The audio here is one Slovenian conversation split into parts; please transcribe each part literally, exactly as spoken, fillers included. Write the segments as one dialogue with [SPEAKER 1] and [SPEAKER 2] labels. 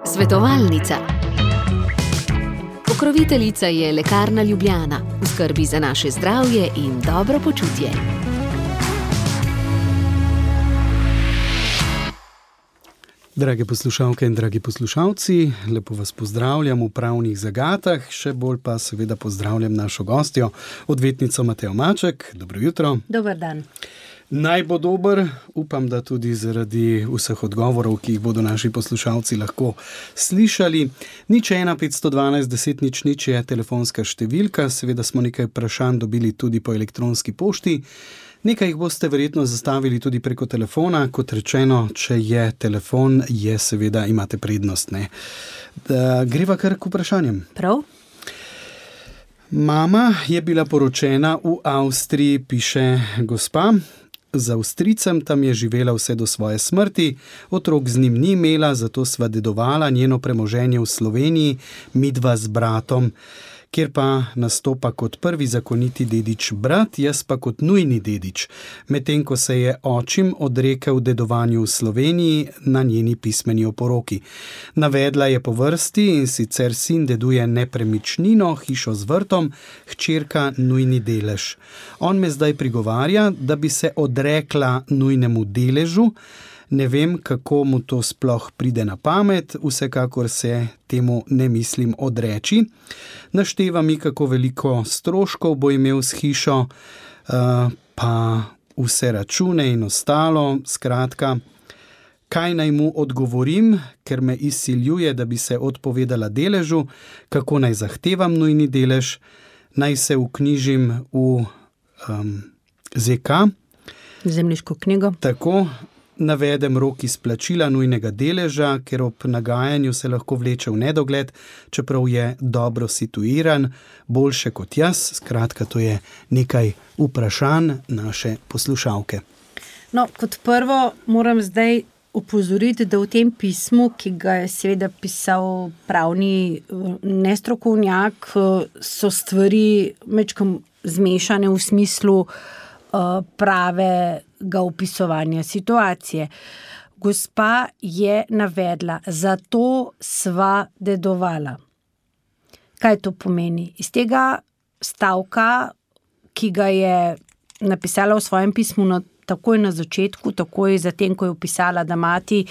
[SPEAKER 1] Svetovalnica. Pokroviteljica je Lekarna Ljubljana, v skrbi za naše zdravje in dobro počutje.
[SPEAKER 2] Drage poslušalke in dragi poslušalci, lepo vas pozdravljam v pravnih zagatah, še bolj pa seveda pozdravljam našo gostjo, odvetnico Matejo Maček. Dobro jutro.
[SPEAKER 3] Dober dan.
[SPEAKER 2] Naj bo dober, upam, da tudi zaradi vseh odgovorov, ki jih bodo naši poslušalci lahko slišali. Nič ena petsto dvanajst deset nič nič je telefonska številka, seveda smo nekaj vprašanj dobili tudi po elektronski pošti. Nekaj jih boste verjetno zastavili tudi preko telefona, kot rečeno, če je telefon, je seveda imate prednost, ne. Da, greva kar k vprašanjem.
[SPEAKER 3] Prav.
[SPEAKER 2] Mama je bila poročena v Avstriji, piše gospa. Z Avstrijcem tam je živela vse do svoje smrti, otrok z njim ni imela, zato sva dedovala njeno premoženje v Sloveniji, midva z bratom, kjer pa nastopa kot prvi zakoniti dedič brat, jaz pa kot nujni dedič, medtem ko se je očim odrekel dedovanju v Sloveniji na njeni pismeni oporoki. Navedla je po vrsti, in sicer sin deduje nepremičnino, hišo z vrtom, hčerka nujni delež. On me zdaj prigovarja, da bi se odrekla nujnemu deležu. Ne vem, kako mu to sploh pride na pamet, vsekakor se temu ne mislim odreči. Našteva mi, kako veliko stroškov bo imel s hišo, pa vse račune in ostalo. Skratka, kaj naj mu odgovorim, ker me izsiljuje, da bi se odpovedala deležu, kako naj zahtevam nujni delež, naj se vknjižim v um, zet ka.
[SPEAKER 3] Zemljiško knjigo.
[SPEAKER 2] Tako. Navedem rok izplačila nujnega deleža, ker ob nagajanju se lahko vleče v nedogled, čeprav je dobro situiran, boljše kot jaz. Skratka, to je nekaj vprašanj naše poslušalke.
[SPEAKER 3] No, kot prvo moram zdaj opozoriti, da v tem pismu, ki ga je seveda pisal pravni nestrokovnjak, so stvari mečkam zmešane v smislu pravega opisovanja situacije. Gospa je navedla, zato sva dedovala. Kaj to pomeni? Iz tega stavka, ki ga je napisala v svojem pismu na, takoj na začetku, takoj zatem, ko je opisala, da mati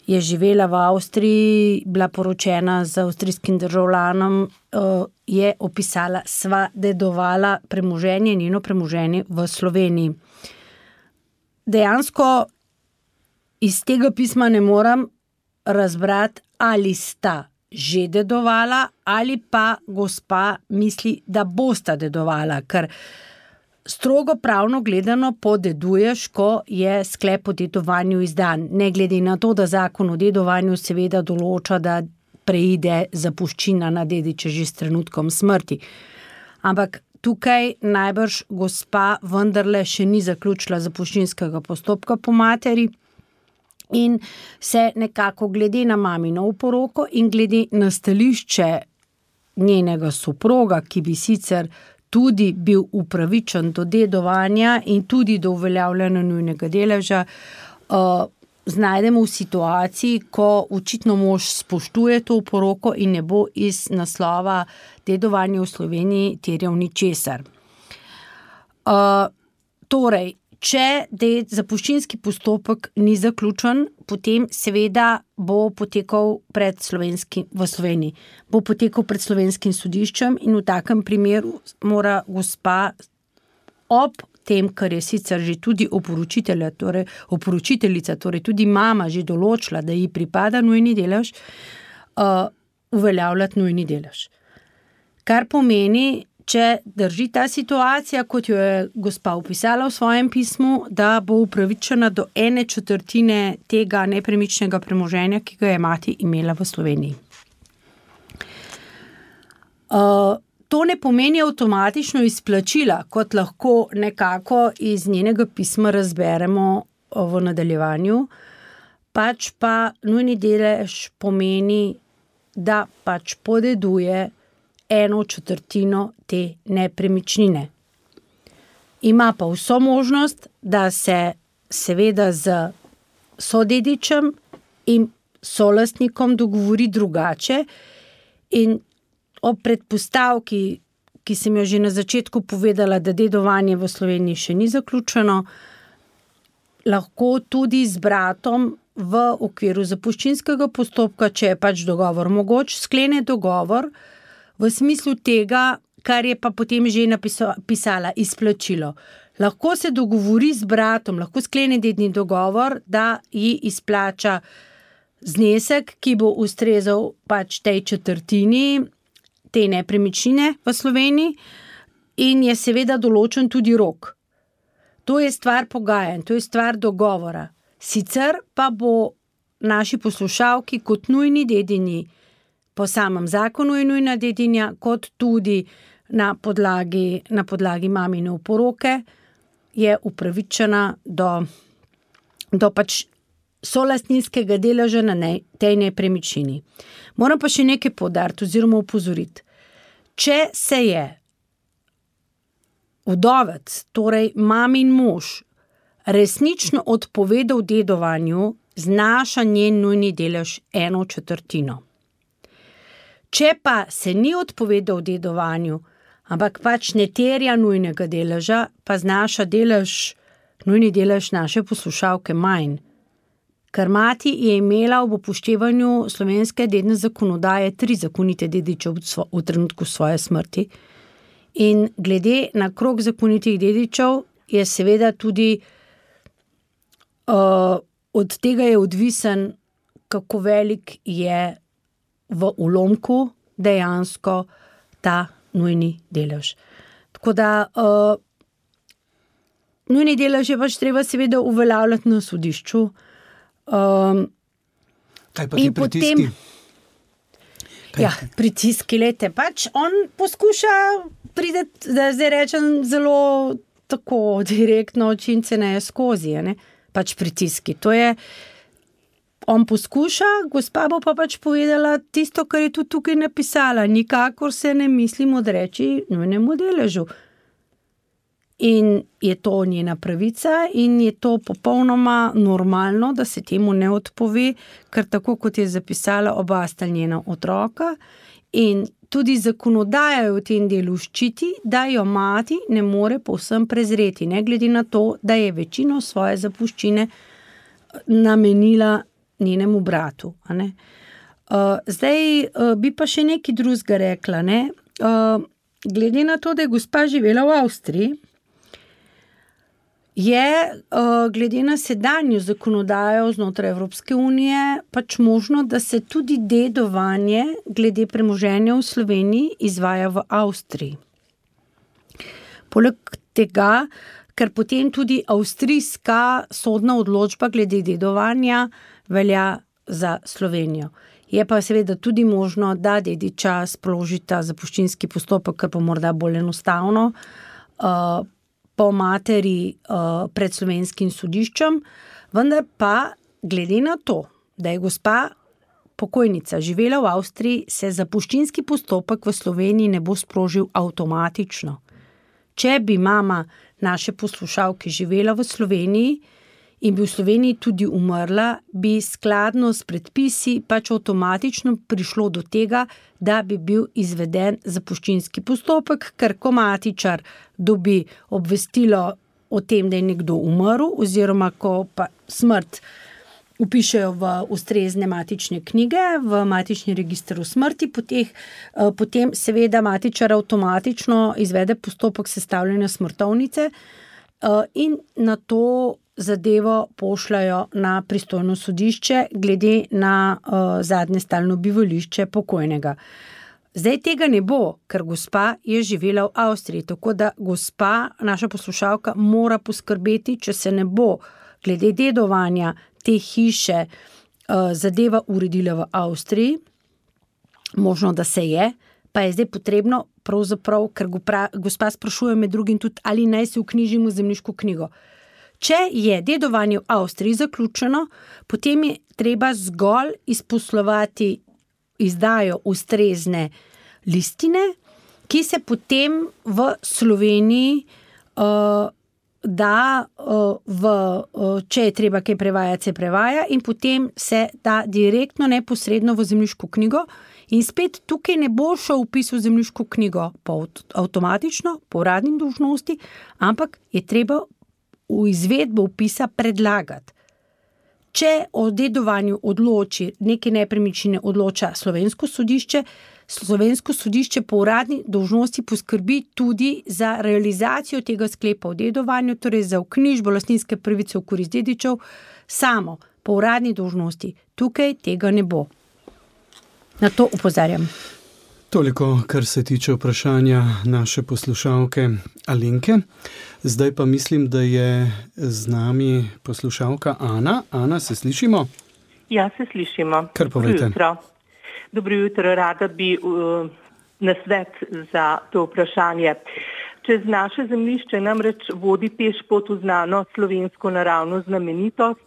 [SPEAKER 3] je živela v Avstriji, bila poročena z avstrijskim državljanom, je opisala, sva dedovala premoženje, njeno premoženje v Sloveniji. Dejansko iz tega pisma ne moram razbrati, ali sta že dedovala, ali pa gospa misli, da bosta dedovala, ker strogo pravno gledano podeduješ, ko je sklep o dedovanju izdan. Ne glede na to, da zakon o dedovanju seveda določa, da preide zapuščina na dediče že s trenutkom smrti. Ampak tukaj najbrž gospa vendarle še ni zaključila zapuščinskega postopka po materi in se nekako glede na mamino oporoko in glede na stališče njenega soproga, ki bi sicer tudi bil upravičen do dedovanja in tudi do uveljavljanja nujnega deleža, uh, znajdemo v situaciji, ko očitno mož spoštuje to oporoko in ne bo iz naslova dedovanja v Sloveniji terjal ničesar. Uh, torej, če ded, zapuščinski postopek ni zaključen, potem seveda bo potekal pred slovenskim, v Sloveniji, bo potekal pred slovenskim sodiščem in v takem primeru mora gospa ob tem, kar je sicer že tudi oporočitelja, torej oporočiteljica, torej tudi mama že določila, da ji pripada nujni delež, uh, uveljavljati nujni delež. Kar pomeni, če drži ta situacija, kot jo je gospa opisala v svojem pismu, da bo upravičena do ene četrtine tega nepremičnega premoženja, ki ga je mati imela v Sloveniji. Uh, To ne pomeni avtomatično izplačila, kot lahko nekako iz njenega pisma razberemo v nadaljevanju, pač pa nujni delež pomeni, da pač podeduje eno četrtino te nepremičnine. Ima pa vso možnost, da se seveda z sodedičem in solastnikom dogovori drugače. In ob predpostavki, ki sem jo že na začetku povedala, da dedovanje v Sloveniji še ni zaključeno, lahko tudi z bratom v okviru zapuščinskega postopka, če je pač dogovor mogoč, sklene dogovor v smislu tega, kar je pa potem že napisala, izplačilo. Lahko se dogovori z bratom, lahko sklene dedni dogovor, da ji izplača znesek, ki bo ustrezal pač tej četrtini te nepremičnine v Sloveniji in je seveda določen tudi rok. To je stvar pogajanj, to je stvar dogovora. Sicer pa bo naši poslušalki kot nujni dedini po samem zakonu je nujna dedinja, kot tudi na podlagi, na podlagi mamine oporoke je upravičena do, do pač solastninskega deleža na ne, tej nepremičnini. Moram pa še nekaj poudariti oziroma opozoriti. Če se je vdovec, torej mamin mož, resnično odpovedal dedovanju, znaša njen nujni delež eno četrtino. Če pa se ni odpovedal dedovanju, ampak pač ne terja nujnega deleža, pa znaša delež, nujni delež naše poslušalke manj. Ker mati je imela ob upoštevanju slovenske dedne zakonodaje tri zakonite dediče v trenutku svoje smrti. In glede na krog zakonitih dedičev je seveda tudi uh, od tega je odvisen, kako velik je v ulomku dejansko ta nujni delež. Tako da uh, nujni delež je pač treba seveda uveljavljati na sodišču. Um,
[SPEAKER 2] Kaj pa ti pritiski?
[SPEAKER 3] Potem, ja, pritiski, lete, pač on poskuša prideti, da zdaj rečem zelo tako direktno, očince ne skozi, ne? Pač pritiski. To je, on poskuša, gospa bo pa pač povedala tisto, kar je tudi tukaj napisala, nikakor se ne mislim odreči nujnemu deležu. In je to njena pravica in je to popolnoma normalno, da se temu ne odpove, ker tako kot je zapisala, oba sta njena otroka in tudi zakonodaja jo v tem delu ščiti, da jo mati ne more povsem prezreti, ne glede na to, da je večino svoje zapuščine namenila njenemu bratu. A ne? Uh, zdaj uh, bi pa še nekaj drugega rekla. Ne? Uh, glede na to, da je gospa živela v Avstriji, je uh, glede na sedanjo zakonodajo znotraj Evropske unije pač možno, da se tudi dedovanje glede premoženja v Sloveniji izvaja v Avstriji. Poleg tega, ker potem tudi avstrijska sodna odločba glede dedovanja velja za Slovenijo. Je pa seveda tudi možno, da dediča sprožita zapuščinski postopek, kar pa morda bolj enostavno, uh, po materi uh, pred slovenskim sodiščem, vendar pa glede na to, da je gospa pokojnica živela v Avstriji, se zapuščinski postopek v Sloveniji ne bo sprožil avtomatično. Če bi mama naše poslušalke živela v Sloveniji in bi v Sloveniji tudi umrla, bi skladno s predpisi pač avtomatično prišlo do tega, da bi bil izveden zapuščinski postopek, ker ko matičar dobi obvestilo o tem, da je nekdo umrl, oziroma ko pa smrt vpišejo v ustrezne matične knjige, v matični register v smrti, potem, potem seveda matičar avtomatično izvede postopek sestavljanja smrtovnice in na to zadevo pošljajo na pristojno sodišče glede na uh, zadnje stalno bivališče pokojnega. Zdaj tega ne bo, ker gospa je živela v Avstriji, tako da gospa, naša poslušalka, mora poskrbeti, če se ne bo glede dedovanja te hiše uh, zadeva uredila v Avstriji, možno, da se je, pa je zdaj potrebno pravzaprav, ker gospa sprašuje med drugim tudi, ali naj se vknjižimo v zemljiško knjigo. Če je dedovanje v Avstriji zaključeno, potem je treba zgolj izposlovati izdajo ustrezne listine, ki se potem v Sloveniji uh, da v, če je treba kaj prevajati, se prevaja in potem se da direktno, neposredno v zemljiško knjigo in spet tukaj ne bo šel vpis v zemljiško knjigo po avtomatično, po uradni dolžnosti, ampak je treba v izvedbo vpisa predlagati. Če o dedovanju odloči, neke nepremičnine odloča slovensko sodišče, slovensko sodišče po uradni dolžnosti poskrbi tudi za realizacijo tega sklepa o dedovanju, torej za vknjižbo lastninske pravice v korist dedičev, samo po uradni dolžnosti. Tukaj tega ne bo. Na to opozarjam.
[SPEAKER 2] Toliko, kar se tiče vprašanja naše poslušalke Alenke. Zdaj pa mislim, da je z nami poslušalka Ana. Ana, se slišimo?
[SPEAKER 4] Ja, se slišimo.
[SPEAKER 2] Kar povejte.
[SPEAKER 4] Dobro jutro. Dobro jutro, rada bi uh, nasvet za to vprašanje. Čez naše zemljišče namreč vodi pešpot v znano slovensko naravno znamenitost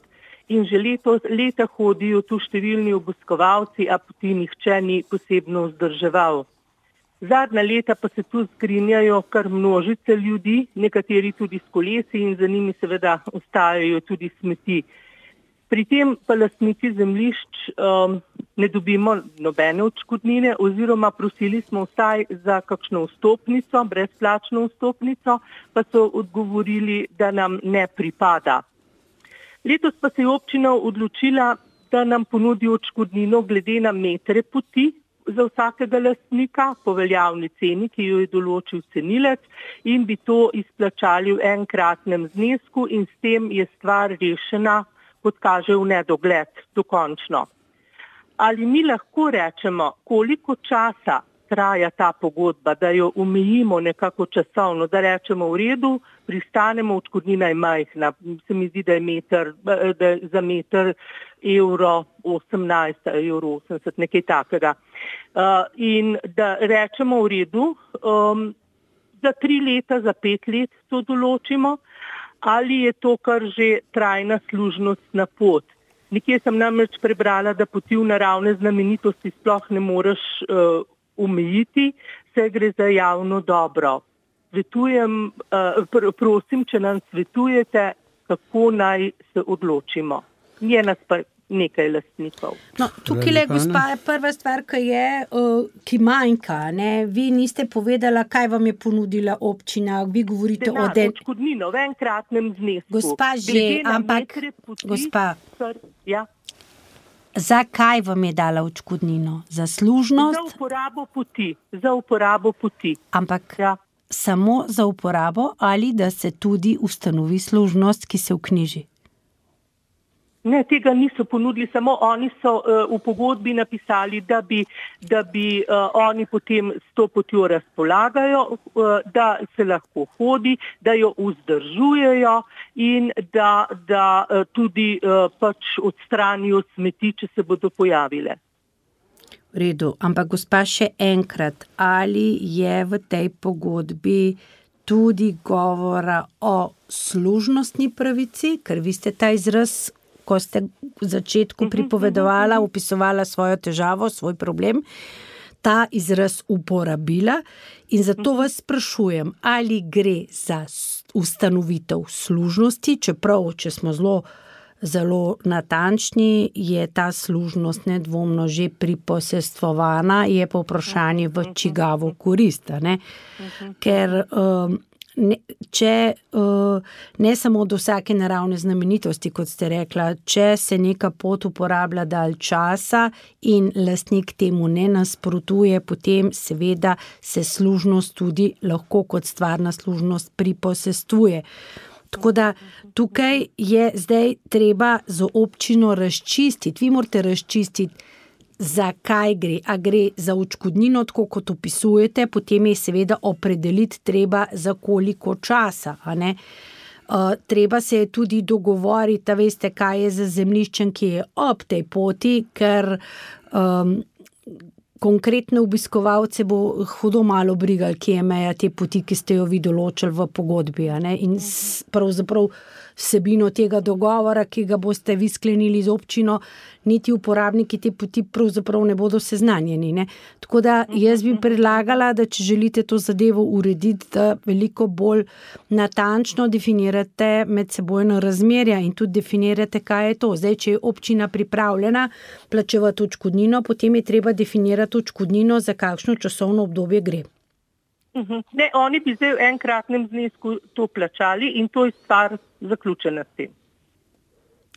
[SPEAKER 4] in že leto, leta hodijo tu številni obiskovalci, a poti nihče ni posebno vzdrževal. Zadnja leta pa se tu zgrinjajo kar množice ljudi, nekateri tudi s kolesi in za njimi seveda ostajajo tudi smeti. Pri tem pa lastniki zemljišč um, ne dobimo nobene odškodnine oziroma prosili smo vsaj za kakšno vstopnico, brezplačno vstopnico, pa so odgovorili, da nam ne pripada. Letos pa se je občina odločila, da nam ponudi odškodnino glede na metre poti za vsakega lastnika po veljavni ceni, ki jo je določil cenilec, in bi to izplačali v enkratnem znesku in s tem je stvar rešena, kot kaže v nedogled, dokončno. Ali mi lahko rečemo, koliko časa traja ta pogodba, da jo omejimo nekako časovno, da rečemo v redu, pristanemo, odškodnina je majhna, se mi zdi, da je, meter, da je za meter evro osemnajst, evro osemdeset, nekaj takega. Uh, in da rečemo v redu, um, za tri leta, za pet let to določimo, ali je to kar že trajna služnostna pot. Nekje sem namreč prebrala, da poti v naravne znamenitosti sploh ne moreš uh, omejiti, se gre za javno dobro. Svetujem, uh, pr- prosim, če nam svetujete, kako naj se odločimo. Je nas pa nekaj lastnikov.
[SPEAKER 3] No, tukaj le, gospa, je prva stvar, ki je, uh, ki manjka, ne? Vi niste povedala, kaj vam je ponudila občina, vi govorite
[SPEAKER 4] Denar,
[SPEAKER 3] o den...
[SPEAKER 4] odškodnino v enkratnem znesku.
[SPEAKER 3] Gospa že, ampak,
[SPEAKER 4] poti,
[SPEAKER 3] gospa,
[SPEAKER 4] kar, ja.
[SPEAKER 3] zakaj vam je dala odškodnino? Za služnost?
[SPEAKER 4] Za uporabo poti, za uporabo poti.
[SPEAKER 3] Ampak
[SPEAKER 4] Ja.
[SPEAKER 3] samo za uporabo ali da se tudi ustanovi služnost, ki se vknjiži?
[SPEAKER 4] Ne, tega niso ponudili, samo oni so uh, v pogodbi napisali, da bi, da bi uh, oni potem s to potjo razpolagajo, uh, da se lahko hodi, da jo vzdržujejo in da, da uh, tudi uh, pač odstranijo smeti, če se bodo pojavile.
[SPEAKER 3] V redu, ampak gospa še enkrat, ali je v tej pogodbi tudi govora o služnostni pravici, ker vi ste ta izraz, ko ste v začetku pripovedovala, opisovala svojo težavo, svoj problem, ta izraz uporabila in zato vas sprašujem, ali gre za ustanovitev služnosti, čeprav, če smo zelo, zelo natančni, je ta služnost nedvomno že priposestvovana, je pa vprašanje v čigavo korist, ne? Ker um, Ne, če uh, ne samo do vsake naravne znamenitosti, kot ste rekla, če se neka pot uporablja dalj časa in lastnik temu ne nasprotuje, potem seveda se služnost tudi lahko kot stvarna služnost priposestvuje. Tako da tukaj je zdaj treba z občino razčistiti, vi morate razčistiti, za kaj gre, a gre za odškodnino, tako kot opisujete, potem je seveda opredeliti treba za koliko časa, a ne. Uh, treba se je tudi dogovoriti, da veste, kaj je za zemljiščem, ki je ob tej poti, ker um, konkretne obiskovalce bo hudo malo brigal, kje je meja te poti, ki ste jo vi določili v pogodbi, a ne, in s, pravzaprav vsebino tega dogovora, ki ga boste vi sklenili z občino, niti uporabniki te poti pravzaprav ne bodo seznanjeni. Ne? Tako da jaz bi predlagala, da če želite to zadevo urediti, da veliko bolj natančno definirate medsebojno razmerja in tudi definirate, kaj je to. Zdaj, če je občina pripravljena plačevati odškodnino, potem je treba definirati odškodnino, za kakšno časovno obdobje gre.
[SPEAKER 4] Ne, oni bi zdaj v enkratnem znesku to plačali in to je stvar zaključena s tem.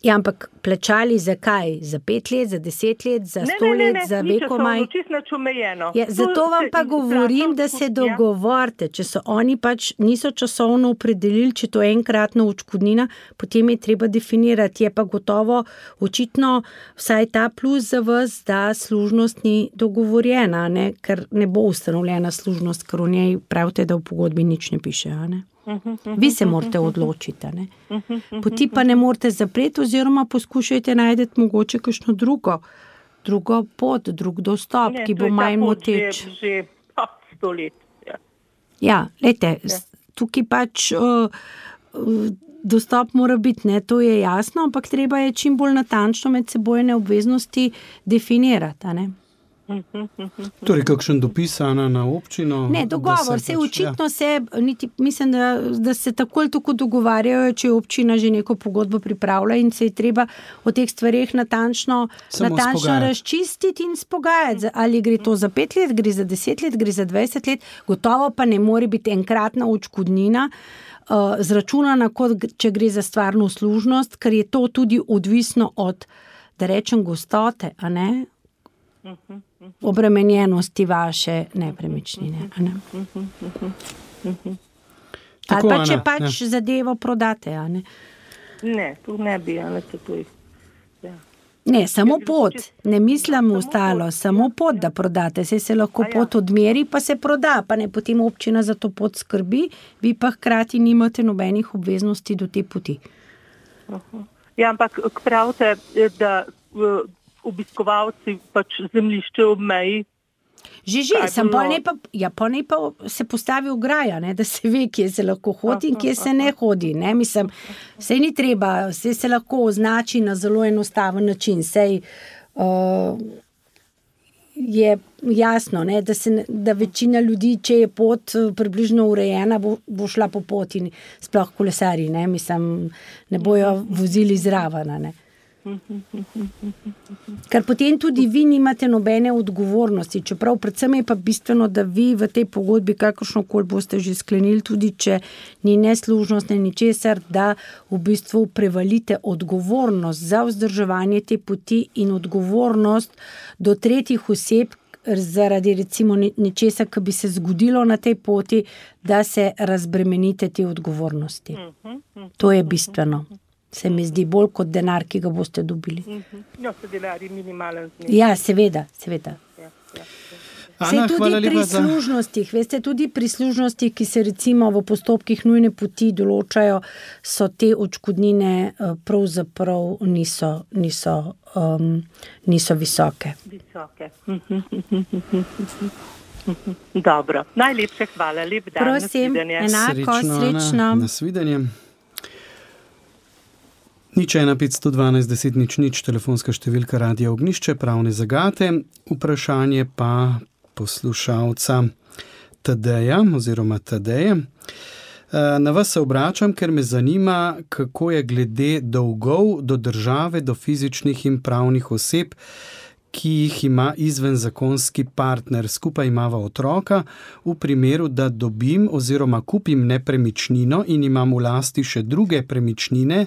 [SPEAKER 3] Ja, ampak plačali za kaj? Za pet let, za deset let, za sto
[SPEAKER 4] ne, ne, ne,
[SPEAKER 3] let, za
[SPEAKER 4] ni
[SPEAKER 3] vekomaj?
[SPEAKER 4] časovno, čisto nič omejeno.
[SPEAKER 3] Ja, zato vam pa govorim, da se dogovorite. Če so oni pač niso časovno opredelili, če to je enkratna odškodnina, potem je treba definirati. Je pa gotovo očitno vsaj ta plus za vas, da služnost ni dogovorjena, ne? Ker ne bo ustanovljena služnost, ker v njej pravite, da v pogodbi nič ne piše, a ne? Vi se morate odločiti. Ne? Poti pa ne morate zapreti oziroma poskušajte najti mogoče kakšno drugo, drugo pot, drug dostop, ne, ki bo manj moteč.
[SPEAKER 4] Že, že pa, sto let. Ja,
[SPEAKER 3] ja lejte, ja. Tukaj pač uh, uh, dostop mora biti, ne, to je jasno, ampak treba je čim bolj natančno medsebojne obveznosti definirati, a ne?
[SPEAKER 2] Torej, kakšen dopis, Ana, na občino?
[SPEAKER 3] Ne, dogovor, se pač, očitno ja. se, niti, mislim, da, da se tako ali tako dogovarjajo, če je občina že neko pogodbo pripravlja in se je treba o teh stvareh natančno, natančno razčistiti in spogajati. Ali gre to za pet let, gre za deset let, gre za dvajset let, gotovo pa ne more biti enkratna odškodnina uh, zračunana, kot če gre za stvarno služnost, ker je to tudi odvisno od, da rečem, gostote, a ne? Obremenjenosti vaše nepremičnine. Ne? Ali pa če pač ja. zadevo prodate, a ne?
[SPEAKER 4] Ne, tu ne bi, ali se to je. Ja.
[SPEAKER 3] Ne, samo pot, ne mislim ostalo, samo pot, da prodate, se se lahko ja. pot odmeri, pa se proda, pa ne potem občina za to pot skrbi, vi pa hkrati nimate nobenih obveznosti do te poti.
[SPEAKER 4] Ja, ampak pravite, da obiskovalci pač zemljišče ob meji.
[SPEAKER 3] Že, že, sem pa ne pa, ja, pa ne pa se postavi ograja, ne, da se ve, kje se lahko hodi in kje se ne hodi, ne, mislim, sej ni treba, sej se lahko označi na zelo enostaven način, sej uh, je jasno, ne, da, se, da večina ljudi, če je pot približno urejena, bo, bo šla po poti, sploh kolesari, ne, mislim, ne bojo vozili zraven, ne. Ker potem tudi vi nimate nobene odgovornosti, čeprav predvsem je pa bistveno, da vi v tej pogodbi, kakršnokoli boste že sklenili, tudi če ni neslužnost, ne ničesar, da v bistvu prevalite odgovornost za vzdrževanje te poti in odgovornost do tretjih oseb zaradi recimo ničesar, ki bi se zgodilo na tej poti, da se razbremenite te odgovornosti. To je bistveno. Se mi zdi bolj kot denar, ki ga boste dobili.
[SPEAKER 4] Ja, se denar je minimalen znesek.
[SPEAKER 3] Ja, seveda, seveda.
[SPEAKER 4] Ja, ja.
[SPEAKER 3] Ana, tudi pri služnostih, veste, tudi pri služnostih, ki se recimo v postopkih nujne poti določajo, so te odškodnine pravzaprav niso, niso, um, niso visoke.
[SPEAKER 4] Visoke. Dobro, najlepše hvala, lep dan.
[SPEAKER 3] Prosim, enako,
[SPEAKER 2] srečno.
[SPEAKER 3] srečno.
[SPEAKER 2] Ana, nasvidenje. Nič ena petsto dvanajst deset nič nič, telefonska številka Radia Ognjišče, pravne zagate. Vprašanje pa poslušalca Tadeja oziroma Tadeje. Na vas se obračam, ker me zanima, kako je glede dolgov do države, do fizičnih in pravnih oseb, ki jih ima izvenzakonski partner. Skupaj imava otroka. V primeru, da dobim oziroma kupim nepremičnino in imam v lasti še druge premičnine,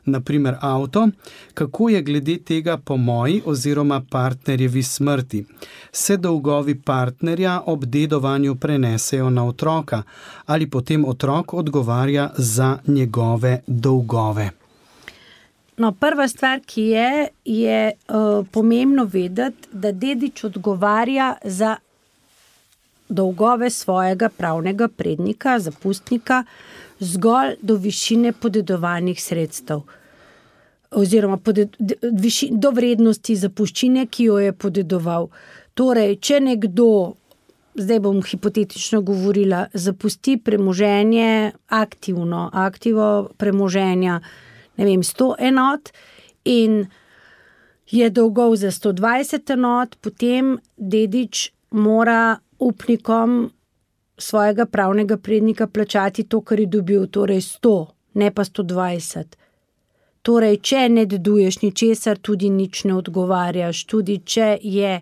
[SPEAKER 2] naprimer avto, kako je glede tega po moji oziroma partnerjevi smrti? Se dolgovi partnerja ob dedovanju prenesejo na otroka ali potem otrok odgovarja za njegove dolgove?
[SPEAKER 3] No, prva stvar, ki je, je uh, pomembno vedeti, da dedič odgovarja za dolgove svojega pravnega prednika, zapustnika, zgolj do višine podedovanih sredstev oziroma poded, viši, do vrednosti zapuščine, ki jo je podedoval. Torej, če nekdo zdaj bom hipotetično govorila, zapusti premoženje aktivno, aktivo premoženja, ne vem, sto enot in je dolgov za sto dvajset enot, potem dedič mora upnikom svojega pravnega prednika plačati to, kar je dobil, torej sto, ne pa sto dvajset. Torej, če ne deduješ ničesar, tudi nič ne odgovarjaš. Tudi če je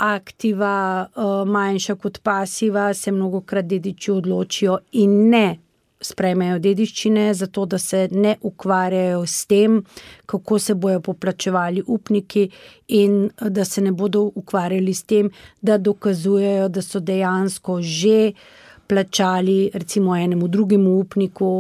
[SPEAKER 3] aktiva uh, manjša kot pasiva, se mnogokrat dediči odločijo in ne sprejmejo dediščine, zato da se ne ukvarjajo s tem, kako se bojo poplačevali upniki in da se ne bodo ukvarjali s tem, da dokazujejo, da so dejansko že plačali recimo enemu drugemu upniku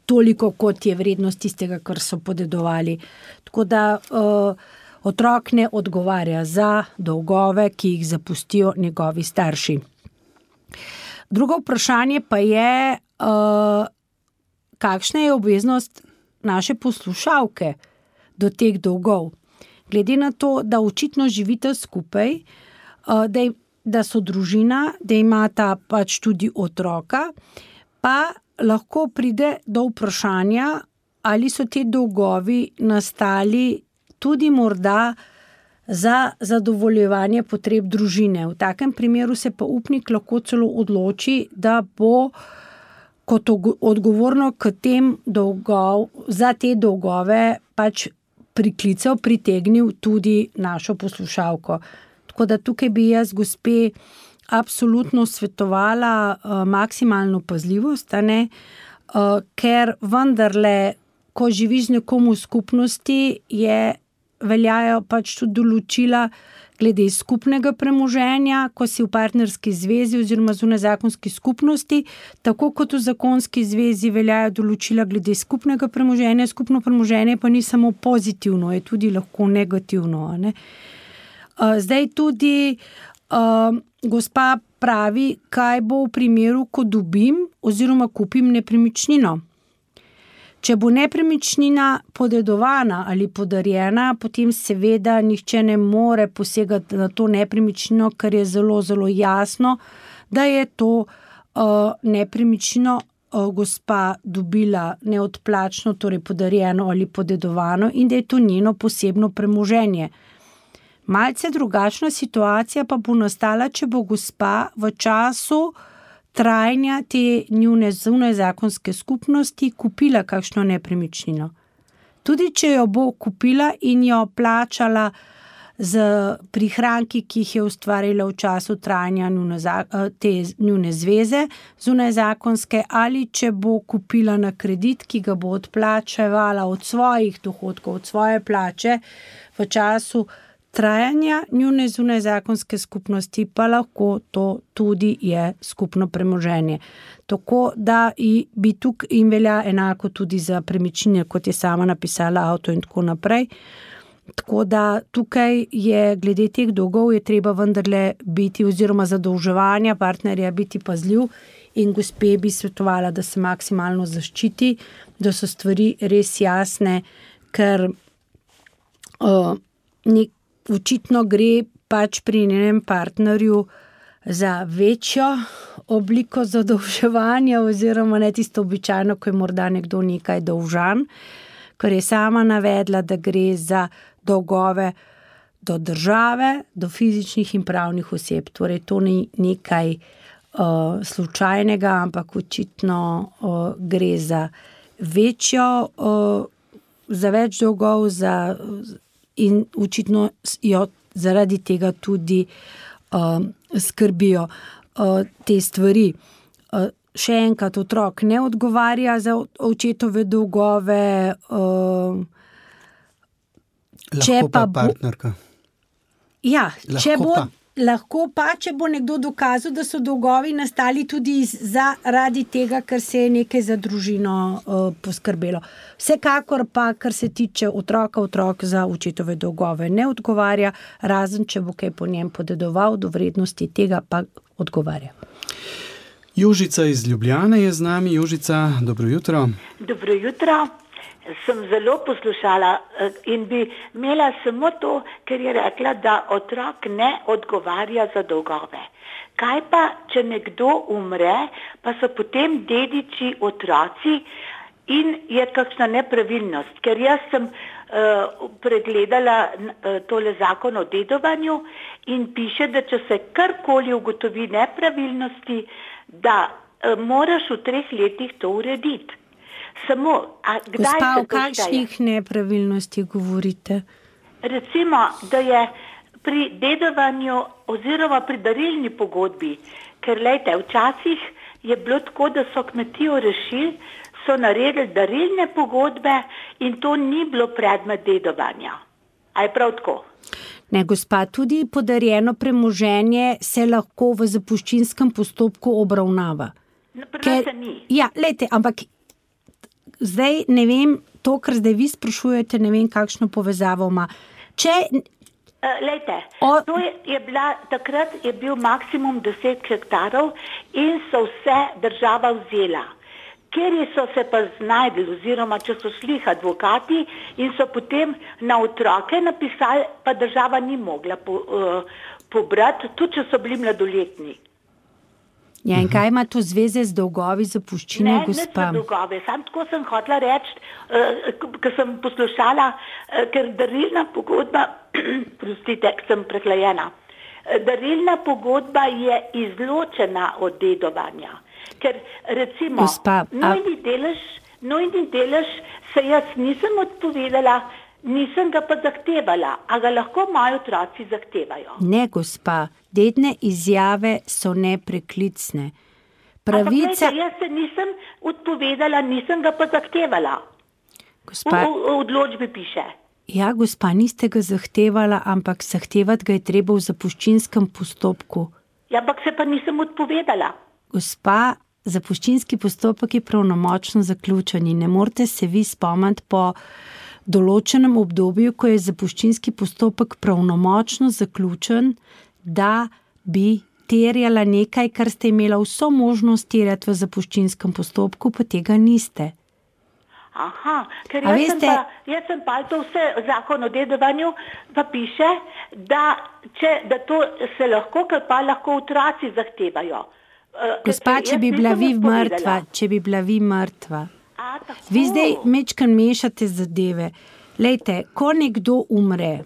[SPEAKER 3] toliko, kot je vrednost tistega, kar so podedovali. Tako da uh, otrok ne odgovarja za dolgove, ki jih zapustijo njegovi starši. Drugo vprašanje pa je, uh, kakšna je obveznost naše poslušalke do teh dolgov. Glede na to, da očitno živita skupaj, uh, da, da so družina, da imata pač tudi otroka, pa lahko pride do vprašanja, ali so te dolgovi nastali tudi morda za zadovoljevanje potreb družine. V takem primeru se pa upnik lahko celo odloči, da bo kot odgovorno k tem dolgov, za te dolgove pač priklical, pritegnil tudi našo poslušalko. Tako da tukaj bi jaz gospe absolutno svetovala uh, maksimalno pazljivost, a ne? Uh, ker vendarle, ko živiš z nekom v skupnosti, je veljajo pač tudi določila glede skupnega premoženja, ko si v partnerski zvezi oziroma zunajzakonski skupnosti, tako kot v zakonski zvezi veljajo določila glede skupnega premoženja. Skupno premoženje pa ni samo pozitivno, je tudi lahko negativno. Ne? Zdaj tudi uh, gospa pravi, kaj bo v primeru, ko dobim oziroma kupim nepremičnino. Če bo nepremičnina podedovana ali podarjena, potem seveda nihče ne more posegati na to nepremičnino, ker je zelo, zelo jasno, da je to uh, nepremičnino uh, gospa dobila neodplačno, torej podarjeno ali podedovano in da je to njeno posebno premoženje. Malce drugačna situacija pa bo nastala, če bo gospa v času trajanja te njune zunajzakonske skupnosti kupila kakšno nepremičnino. Tudi če jo bo kupila in jo plačala z prihranki, ki jih je ustvarila v času trajanja njune, te njune zveze zunajzakonske, ali če bo kupila na kredit, ki ga bo odplačevala od svojih dohodkov, od svoje plače v času trajanja njune zunajzakonske skupnosti, pa lahko to tudi je skupno premoženje. Tako da bi tukaj in velja enako tudi za premičnine, kot je sama napisala avto in tako naprej. Tako da tukaj je glede teh dolgov je treba vendarle biti oziroma zadolževanja partnerja biti pazljiv in gospe bi svetovala, da se maksimalno zaščiti, da so stvari res jasne, ker uh, nek očitno gre pač pri njenem partnerju za večjo obliko zadolževanja oziroma ne tisto običajno, ko je morda nekdo nekaj dolžan, ker je sama navedla, da gre za dolgove do države, do fizičnih in pravnih oseb. Torej, to ni nekaj uh, slučajnega, ampak očitno uh, gre za večjo, uh, za več dolgov, za in očitno jo zaradi tega tudi uh, skrbijo uh, te stvari. Uh, še enkrat, otrok ne odgovarja za očetove dolgove. Uh,
[SPEAKER 2] lahko pa, pa partnerka.
[SPEAKER 3] Ja,
[SPEAKER 2] lahko
[SPEAKER 3] če bo,
[SPEAKER 2] pa.
[SPEAKER 3] Lahko pa, če bo nekdo dokazal, da so dolgovi nastali tudi zaradi tega, ker se je nekaj za družino uh, poskrbelo. Vsekakor pa, kar se tiče otroka, otrok za očetove dolgove ne odgovarja, razen če bo kaj po njem podedoval, do vrednosti tega pa odgovarja.
[SPEAKER 2] Jožica iz Ljubljane je z nami. Jožica, dobro jutro.
[SPEAKER 5] Dobro jutro. sem zelo poslušala in bi imela samo to, ker je rekla, da otrok ne odgovarja za dolgove. Kaj pa, če nekdo umre, pa so potem dediči otroci in je kakšna nepravilnost? Ker jaz sem uh, pregledala uh, tole zakon o dedovanju in piše, da če se karkoli ugotovi nepravilnosti, da uh, moraš v treh letih to urediti. Samo, a kdaj
[SPEAKER 3] Gospa,
[SPEAKER 5] se
[SPEAKER 3] o kakšnih nepravilnostih govorite?
[SPEAKER 5] Recimo, da je pri dedovanju oziroma pri darilni pogodbi, ker lejte, včasih je bilo tako, da so kmetijo rešili, so naredili darilne pogodbe in to ni bilo predmet dedovanja. A je prav tako?
[SPEAKER 3] Ne, gospa, tudi podarjeno premoženje se lahko v zapuščinskem postopku obravnava.
[SPEAKER 5] No, pri
[SPEAKER 3] Ker,
[SPEAKER 5] nas se ni.
[SPEAKER 3] ja, lejte, ampak zdaj ne vem, to, kar zdaj vi sprašujete, ne vem, kakšno povezavo ima. Če,
[SPEAKER 5] Uh, lejte,
[SPEAKER 3] O-
[SPEAKER 5] to je, je bila, takrat je bil maksimum deset hektarov in so vse država vzela. Ker so se pa znajdli, oziroma če so šli advokati in so potem na otroke napisali, pa država ni mogla po, uh, pobrati, tudi če so bili mladoletni.
[SPEAKER 3] ja, in kaj ima to zveze z dolgovi zapuščine,
[SPEAKER 5] Ne, ne
[SPEAKER 3] gospa?
[SPEAKER 5] za dolgove, sam tako sem hotela reči, uh, ker sem poslušala, uh, ker darilna pogodba, prostite, sem prehlajena, uh, darilna pogodba je izločena od dedovanja, ker recimo
[SPEAKER 3] Gospa, a-
[SPEAKER 5] nujni delež, nujni delež se jaz nisem odpovedala, nisem ga pa zahtevala, a ga lahko moji otroci zahtevajo.
[SPEAKER 3] Ne, gospa, dedne izjave so nepreklicne. Pravica,
[SPEAKER 5] Ampak, glejte, jaz se nisem odpovedala, nisem ga pa zahtevala. V,
[SPEAKER 3] gospa,
[SPEAKER 5] v, v odločbi piše.
[SPEAKER 3] ja, gospa, niste ga zahtevala, ampak zahtevati ga je treba v zapuščinskem postopku.
[SPEAKER 5] Ja, ampak se pa nisem odpovedala.
[SPEAKER 3] Gospa, zapuščinski postopek je pravnomočno zaključen in ne morete se vi spomniti po določenem obdobju, ko je zapuščinski postopek pravnomočno zaključen, da bi terjala nekaj, kar ste imela vso možnost terjati v zapuščinskem postopku, pa tega niste.
[SPEAKER 5] Aha, ker
[SPEAKER 3] A
[SPEAKER 5] jaz,
[SPEAKER 3] veste-
[SPEAKER 5] sem pa, jaz sem pa to vse zakon o dedovanju, pa piše, da, če, da to se lahko, ker pa lahko otroci zahtevajo. Eh, ker
[SPEAKER 3] Gospa,
[SPEAKER 5] se
[SPEAKER 3] če
[SPEAKER 5] jaz
[SPEAKER 3] bi bila
[SPEAKER 5] nisem
[SPEAKER 3] vi
[SPEAKER 5] odpovedala.
[SPEAKER 3] mrtva, če bi bila vi mrtva.
[SPEAKER 5] A, tako.
[SPEAKER 3] Vi zdaj mečkan mešate zadeve. Lejte, ko nekdo umre,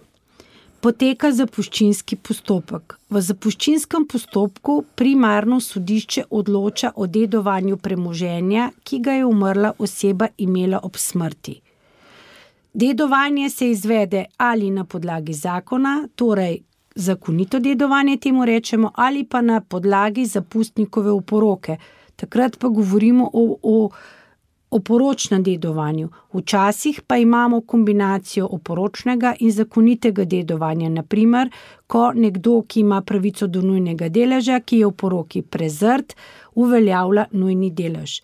[SPEAKER 3] poteka zapuščinski postopek. V zapuščinskem postopku primarno sodišče odloča o dedovanju premoženja, ki ga je umrla oseba imela ob smrti. Dedovanje se izvede ali na podlagi zakona, torej zakonito dedovanje temu rečemo, ali pa na podlagi zapustnikove oporoke. Takrat pa govorimo o, o o poročnem dedovanju. Včasih pa imamo kombinacijo oporočnega in zakonitega dedovanja. Naprimer, ko nekdo, ki ima pravico do nujnega deleža, ki je v poroki prezrt, uveljavlja nujni delež.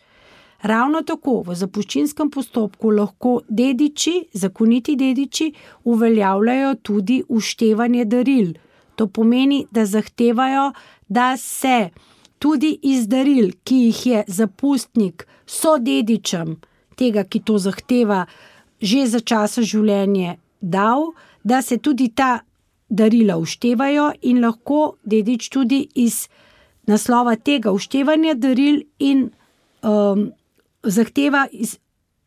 [SPEAKER 3] Ravno tako v zapuščinskem postopku lahko dediči, zakoniti dediči, uveljavljajo tudi uštevanje daril. To pomeni, da zahtevajo, da se tudi iz daril, ki jih je zapustnik sodedičem tega, ki to zahteva, že za časa življenja dal, da se tudi ta darila uštevajo in lahko dedič tudi iz naslova tega uštevanja daril in um, zahteva, iz,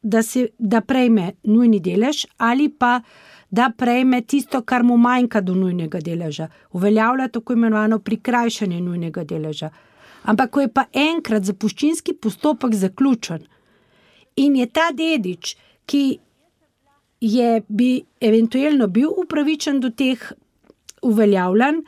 [SPEAKER 3] da, se, da prejme nujni delež ali pa da prejme tisto, kar mu manjka do nujnega deleža. Uveljavlja tako imenovano prikrajšanje nujnega deleža. Ampak ko je pa enkrat zapuščinski postopek zaključen in je ta dedič, ki je bi eventualno bil upravičen do teh uveljavljanj,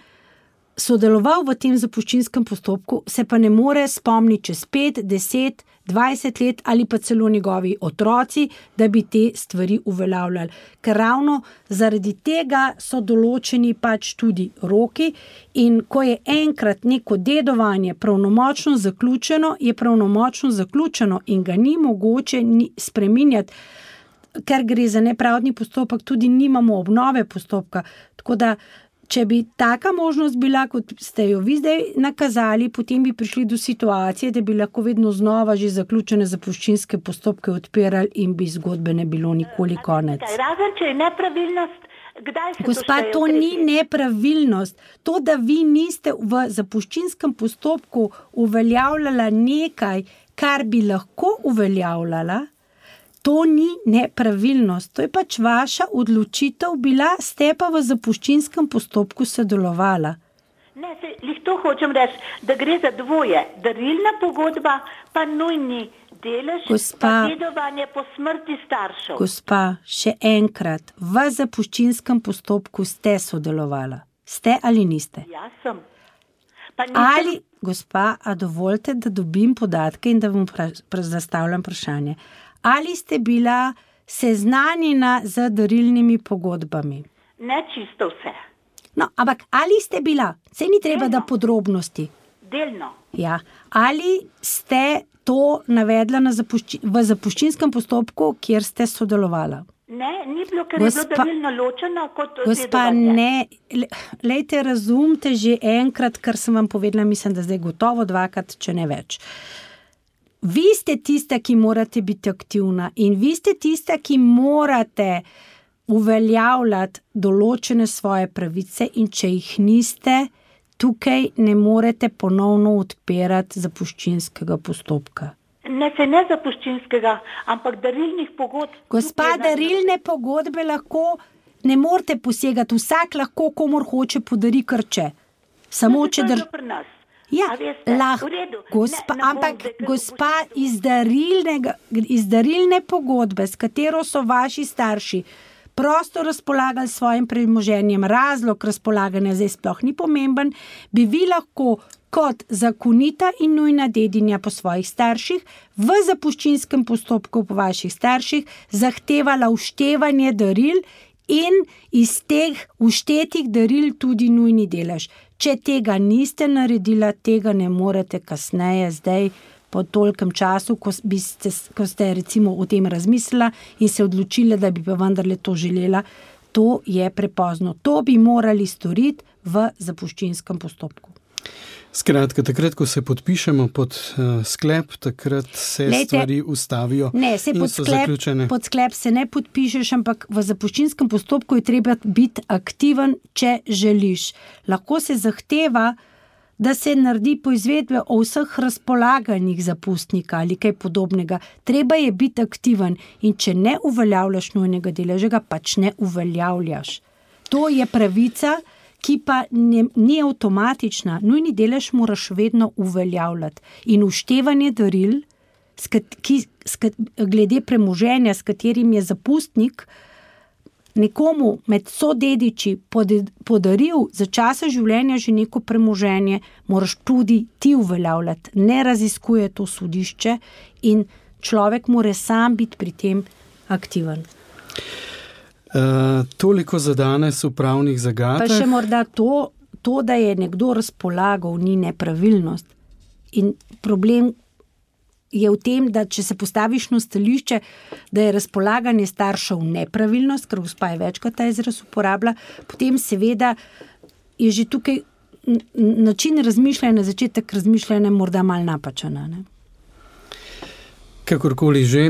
[SPEAKER 3] sodeloval v tem zapuščinskem postopku, se pa ne more spomniti čez pet, deset, dvajset let ali pa celo njegovi otroci, da bi te stvari uveljavljali. Ker ravno zaradi tega so določeni pač tudi roki in ko je enkrat neko dedovanje pravnomočno zaključeno, je pravnomočno zaključeno in ga ni mogoče ni spreminjati, ker gre za nepravdni postopek, tudi nimamo obnove postopka. Tako da če bi taka možnost bila, kot ste jo vi zdaj nakazali, potem bi prišli do situacije, da bi lahko vedno znova že zaključene zapuščinske postopke odpirali in bi zgodbe ne bilo nikoli konec.
[SPEAKER 5] Razen, če je nepravilnost, kdaj se
[SPEAKER 3] Gospa,
[SPEAKER 5] to šteje
[SPEAKER 3] to
[SPEAKER 5] v
[SPEAKER 3] ni
[SPEAKER 5] tretji?
[SPEAKER 3] nepravilnost. To, da vi niste v zapuščinskem postopku uveljavljala nekaj, kar bi lahko uveljavljala, to ni nepravilnost. To je pač vaša odločitev bila, ste pa v zapuščinskem postopku sodelovala.
[SPEAKER 5] Ne, se, lih to hočem reči, da gre za dvoje. Darilna pogodba, pa nujni delež,
[SPEAKER 3] Gospa,
[SPEAKER 5] pa dedovanje po smrti staršev.
[SPEAKER 3] Gospa, še enkrat, v zapuščinskem postopku ste sodelovala. Ste ali niste?
[SPEAKER 5] Jaz sem. Pa nisem...
[SPEAKER 3] Ali, gospa, a dovolite, da dobim podatke in da vam pra, pra, zastavljam vprašanje. Ali ste bila seznanjena z darilnimi pogodbami?
[SPEAKER 5] Ne čisto vse.
[SPEAKER 3] No, ampak ali ste bila? Saj ni treba, da podrobnosti.
[SPEAKER 5] Delno.
[SPEAKER 3] Ja. Ali ste to navedla na zapušči, v zapuščinskem postopku, kjer ste sodelovala?
[SPEAKER 5] Ne, ni bilo, ker
[SPEAKER 3] Gospa-
[SPEAKER 5] je bilo darilno ločeno kot
[SPEAKER 3] Gospa,
[SPEAKER 5] dedovanje.
[SPEAKER 3] ne, le- lejte, razumte že enkrat, kar sem vam povedala, mislim, da zdaj gotovo dvakrat, če ne več. Vi ste tista, ki morate biti aktivna in vi ste tista, ki morate uveljavljati določene svoje pravice in če jih niste, tukaj ne morete ponovno odpirati zapuščinskega postopka.
[SPEAKER 5] Ne, se ne zapuščinskega, ampak darilnih pogodb.
[SPEAKER 3] Gospa,
[SPEAKER 5] Tukaj je
[SPEAKER 3] darilne pogodbe lahko ne morete posegati, vsak lahko komor hoče podari krče. Samo
[SPEAKER 5] To
[SPEAKER 3] če
[SPEAKER 5] je
[SPEAKER 3] dr...
[SPEAKER 5] bilo pri nas.
[SPEAKER 3] Ja,
[SPEAKER 5] A veste,
[SPEAKER 3] lahko,
[SPEAKER 5] v redu.
[SPEAKER 3] gospa,
[SPEAKER 5] Ne, ne bom
[SPEAKER 3] ampak
[SPEAKER 5] zdaj, ker
[SPEAKER 3] gospa
[SPEAKER 5] opustim.
[SPEAKER 3] iz, darilnega, iz darilne pogodbe, s katero so vaši starši prosto razpolagali s svojim premoženjem, razlog razpolaganja zdaj sploh ni pomemben, bi vi lahko kot zakonita in nujna dedinja po svojih starših v zapuščinskem postopku po vaših starših zahtevala uštevanje daril in iz teh uštetih daril tudi nujni delež. Če tega niste naredila, tega ne morete kasneje, zdaj po tolkem času, ko, bi ste, ko ste recimo o tem razmislila in se odločila, da bi pa vendarle to želela, to je prepozno. To bi morali storiti v zapuščinskem postopku.
[SPEAKER 2] Skratka, takrat, ko se podpišemo pod uh, sklep, takrat se
[SPEAKER 3] Lejte,
[SPEAKER 2] stvari ustavijo
[SPEAKER 3] Ne, se
[SPEAKER 2] in
[SPEAKER 3] pod
[SPEAKER 2] so
[SPEAKER 3] sklep,
[SPEAKER 2] zaključene.
[SPEAKER 3] pod sklep se ne podpišeš, ampak v zapuščinskem postopku je treba biti aktiven, če želiš. Lahko se zahteva, da se naredi poizvedbe o vseh razpolaganjih zapustnika ali kaj podobnega. Treba je biti aktiven in če ne uveljavljaš nujnega deleža, ga pač ne uveljavljaš. To je pravica, ki pa ne, ni avtomatična. Nujni delež moraš vedno uveljavljati. In uštevanje daril, skat, ki, skat, glede premoženja, s katerim je zapustnik nekomu med sodediči podaril za časa življenja že neko premoženje, moraš tudi ti uveljavljati. Ne raziskuje to sodišče in človek mora sam biti pri tem aktiven.
[SPEAKER 2] Uh, toliko za danes v pravnih zagatah.
[SPEAKER 3] Pa še morda to, to, da je nekdo razpolagal, ni nepravilnost. In problem je v tem, da če se postaviš na stališče, da je razpolaganje staršev nepravilnost, ker gospa je večkrat ta izraz uporablja, potem seveda je že tukaj način razmišljanja, začetek razmišljanja morda malo napačen. Ne?
[SPEAKER 2] Kakorkoli že,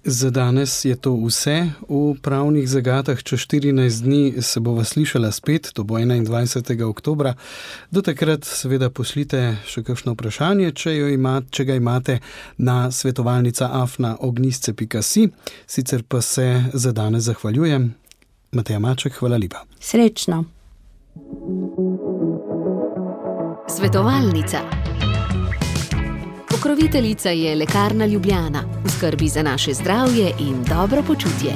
[SPEAKER 2] za danes je to vse v pravnih zagatah. Čez štirinajst dni se bova slišala spet, to bo enaindvajsetega oktobra. Do takrat seveda pošljite še kakšno vprašanje, če, jo ima, če ga imate na svetovalnica afna ognjisce pika si. Sicer pa se za danes zahvaljujem. Mateja Maček, hvala lepa.
[SPEAKER 3] Srečno.
[SPEAKER 1] Svetovalnica. Pokroviteljica je Lekarna Ljubljana, v skrbi za naše zdravje in dobro počutje.